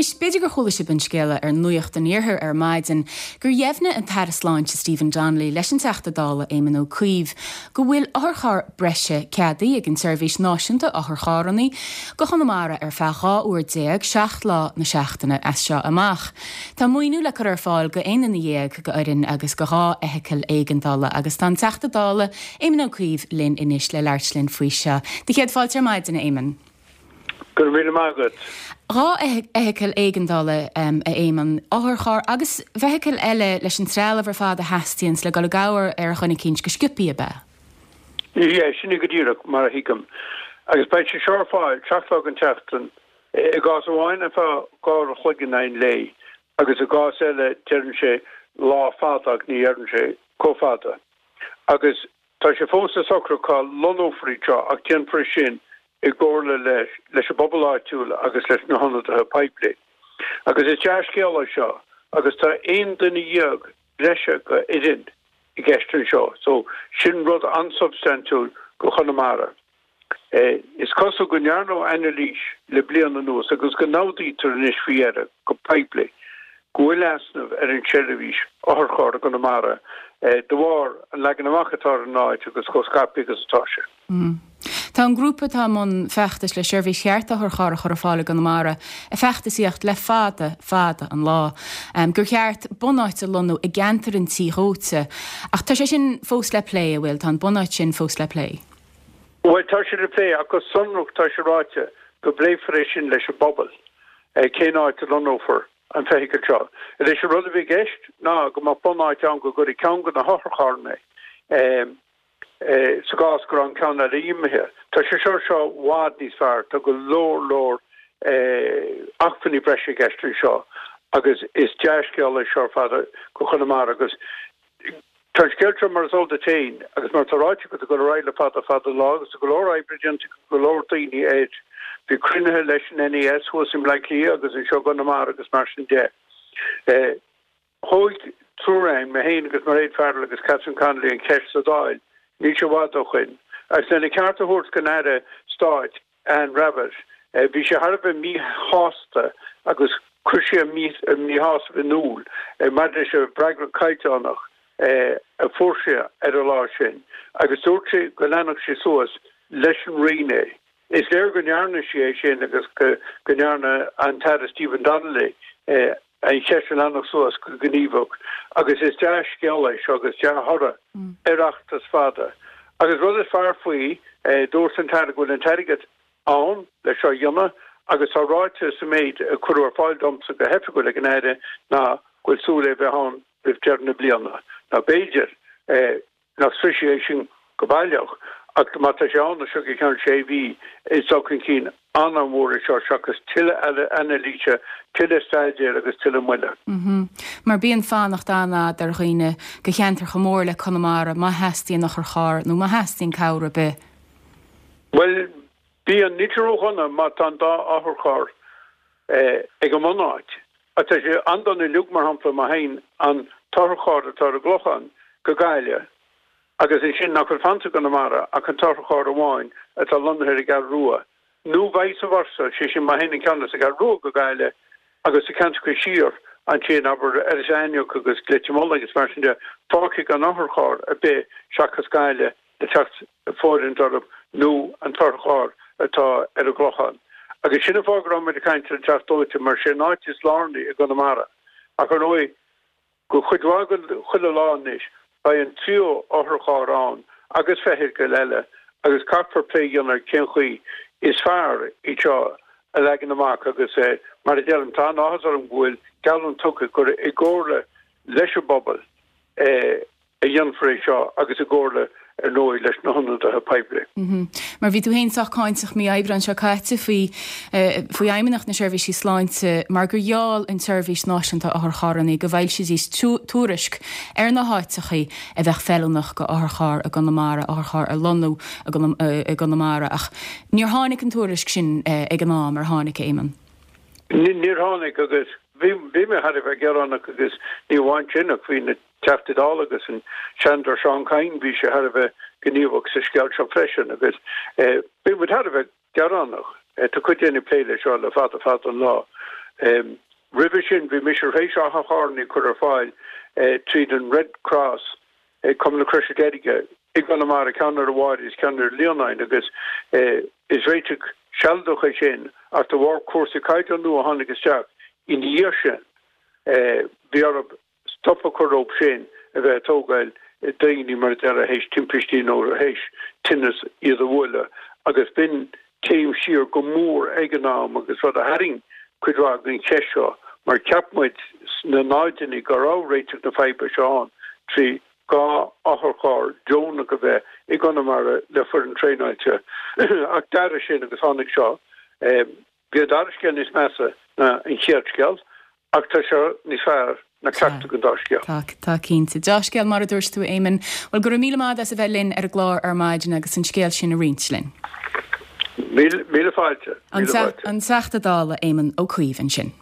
Anois, b'fhéidir gur chuala sibh an scéala ar Nuacht an Iarthair ar maidin gur dheimhnigh an tAire Sláinte Stephen Donnelly leis an Teachta Dála Éamon Ó Cuív go bhfuil otharcharr breise ceadaithe ag an tSeirbhís Náisiúnta Otharcharranna go Chonamara ar feadh 12 uair, 7 lá na seachtaine as seo amach. Tá maoiniú le cur ar fáil go aon duine dhéag go fhoireann agus go 2 fheithicil éigeandála agus tá an Teachta Dála Éamon Ó Cuív linn anois le labhairt linn faoi seo. Do chéad fáilte ar maidin, a Éamoin. Go raibh míle maith agat. 2 fheithicil éigeandála, a Éamoin, otharcharr agus feithicil eile leis an trealamh ar fad a theastaíonns le dul i gcabhair ar dhuine eicínt go sciobthaí, ab ea? Yeah, sin é go díreach mar a thuigim. Agus beidh sé seo ar fáil 7 lá den tseachtain, i gcás amháin ar feadh 2 uair a chloig in aghaidh an lae agus i gcás eile deireann sé lá fada ach ní dheireann sé chomh fada. Agus Tá sé fós le socrú cá lonnófar iad seo ach déanfar é sin i gcomhairle leis an bpobal áitiúil agus leis na hionadaithe poiblí. Agus is dea-scéal é seo agus tá 11 duine breise go fhoireann i gceist anseo so sin rud an-substaintiúil go Chonamara. Is cosúil go ndearnadh anailís le bliain anuas agus go n-admhaítear anois faoi dheireadh go poiblí go bhfuil easnamh ar an tseirbhís otharcharr i gConamara de bharr an leagan amach atá ar an áit agus chomh scaipthe agus atá sé. Tá an grúpa atá i mbun feachtais le seirbhís cheart otharcharr a chur ar fáil i gConamara ag feachtasaíocht le fada, fada an lá gur cheart bunáit a lonnú i gceantar an tí dhóite ach tá sé sin fós le plé, an bhfuil? Tá an bunáit sin fós le plé. Bhuel, tá sé le plé, ach go sonrach tá sé ráite go bpléifear é sin leis an bpobal, cén áit a lonnófar an feithicil seo. Anois, an rud a bhí i gceist ná go mbeadh bunáit ann go gcuirfí ceann de na hotharcharranna sa gcás go raibh an ceann eile imithe. Tá sé seo seo i bhfad níos fearr, tá go leor leor acmhainní breise i gceist anseo agus is dea-scéal é seo ar fad go Chonamara agus Tá an scéal seo, mar is eol duit féin, agus mar atá ráite agat, ag dul ar aghaidh le fada fada an lá agus tá go leor oibre déanta ag go leor daoine air. Bhí cruinnithe leis an NES thuas i mBleá Cliath agus anseo i gConamara agus mar sin de. Thóg triúr againn, mé féin agus Mairéad Farrell agus Catherine Connolly, an cheist sa Dáil níl sé i bhfad ó shoin agus lena ceart a thabhairt don Aire Stáit, Anne Rabbitte. Bhí sé thar a bheith míshásta agus chuir sé a mhíshásamh in iúl maidir leis an bhfreagra caighdeánach a fuair sé ar an lá sin agus dúirt sé go leanfadh sé suas leis an Roinn é. Is léir go ndearna sí é sin agus go ndearna an tAire Stephen Donnelly an cheist a leanacht suas go gníomhach agus is dea-scéal é seo agus dea-thoradh ar fheachtas fada. Agus rud is fearr faoi, dúirt an tAire go bhfuil an t-airgead ann le seo a dhéanamh agus tá ráite sa méid a cuireadh ar fáil domsa go hoifigiúil ag an Aire ná go bhfuil súil é bheith ann roimh deireadh na bliana. Now b'fhéidir. nach sroisfidh é sin go baileach, ach má tá sé ann as seo go ceann sé mhí, is dul chun cinn an-mhór é seo seachas tuilleadh anailíse, tuilleadh staidéir agus tuilleadh moille. Mar bíonn fanacht an-fhada ar dhaoine go cheantar chomh mór le Conamara má theastaíonn otharcharr nó má theastaíonn cabhair ar bith. Bhuel, bíonn. Níl sé ródhona má tá an dá otharcharr ag an mbunáit. Ach tá sé an-dona uilig, mar shampla, má théann an t-otharcharr atá ar an gClochán go Gaillimh agus ansin nach bhfuil fanta i gConamara ach an t-otharcharr amháin atá lonnaithe ar an gCeathrú Rua, nó vice versa, sé sin má théann an ceann as an gCeathrú Rua go Gaillimh agus na ceantracha siar ansin, abair, Iorras Aithneach agus Leitir Mealláin agus mar sin de, fágtha gan otharcharr ar bith seachas Gaillimh le teacht ag fóirithint orthu nó an t-otharcharr atá ar an gClochán. Agus sin an fáth go raibh muid ag caint ar an Teach Dóite mar sé an áit is lárnaí i gConamara. Ach ar ndóigh, go chuid mhaith den chuile lá anois, beidh an tríú otharcharr ann agus feithicil eile agus caithfear plé a dhéanamh ar cén chaoi is fearr iad seo a leagan amach agus mar a deirim, tá an-áthas orm go bhfuil geallúint tugtha gur i gcomhairle leis an bpobal a dhéanfar é seo agus i gcomhairle, ar ndóigh, leis na hionadaithe poiblí. Mar bhí tú féin sách cáinteach mí Aibreáin seo caite faoi faoi Fheidhmeannacht na Seirbhísí Sláinte mar gur gheall an tSeirbhís Náisiúnta Otharcharranna go bhfoilseoidís tuairisc ar na háiteachaí a bheadh feiliúnach go otharcharr i gConamara, otharcharr a lonnú i gConamara ach níor tháinig an tuairisc sin ag an am, ar tháinig, a Éamonn? Níor tháinig agus bhí mé thar a bheith gearánach agus ní amháin sin ach bhí na Teachtaí Dála agus an Seanadóir Seán Kyne, bhí sé thar a bheith gníomhach sa scéal seo freisin agus bhí muid thar a bheith gearánach. Tá cuid daoine ag plé leis seo le fada fada an lá. Roimhe sin bhí mise tar éis otharcharranna a chur ar fáil tríd an Red Cross, Cumann na Croise Deirge, i gConamara, ceann ar an Bháire is ceann ar an Líonáin agus is réiteach sealadach é sin ach de bharr cúrsaí caighdeán nua a tháinig isteach ina dhiaidh sin bhí orthu stop a chur leo sin a bheith ag tógáil daoine mar a déarfá théis timpistí nó théis tinneas iad a bhualadh agus b'in céim siar go mór ag an am agus rud a tharraing cuid mhaith den cheist seo mar cheap muid sna náideanna go raibh réiteach na faidhbe seo ann trí 2 otharcharr deonach a bheith i gConamara le foireann traenáilte ach d'athraigh sin agus tháinig seo. Bhí an dara scéal níos measa ná an chéad scéal, ach tá seo níos fearr ná ceachtar den dá scéal. Tá, tá cinnte. Deá-scéal mar a dúirt tú, a Éamoinn. Bhuel, go raibh míle maith agat as a bheith linn ar an gclár ar maidin agus an scéal sin a roinnt linn. Míle, míle fáilte. Míle fáilte. An Teachta Dála Éamon Ó Cuív ansin.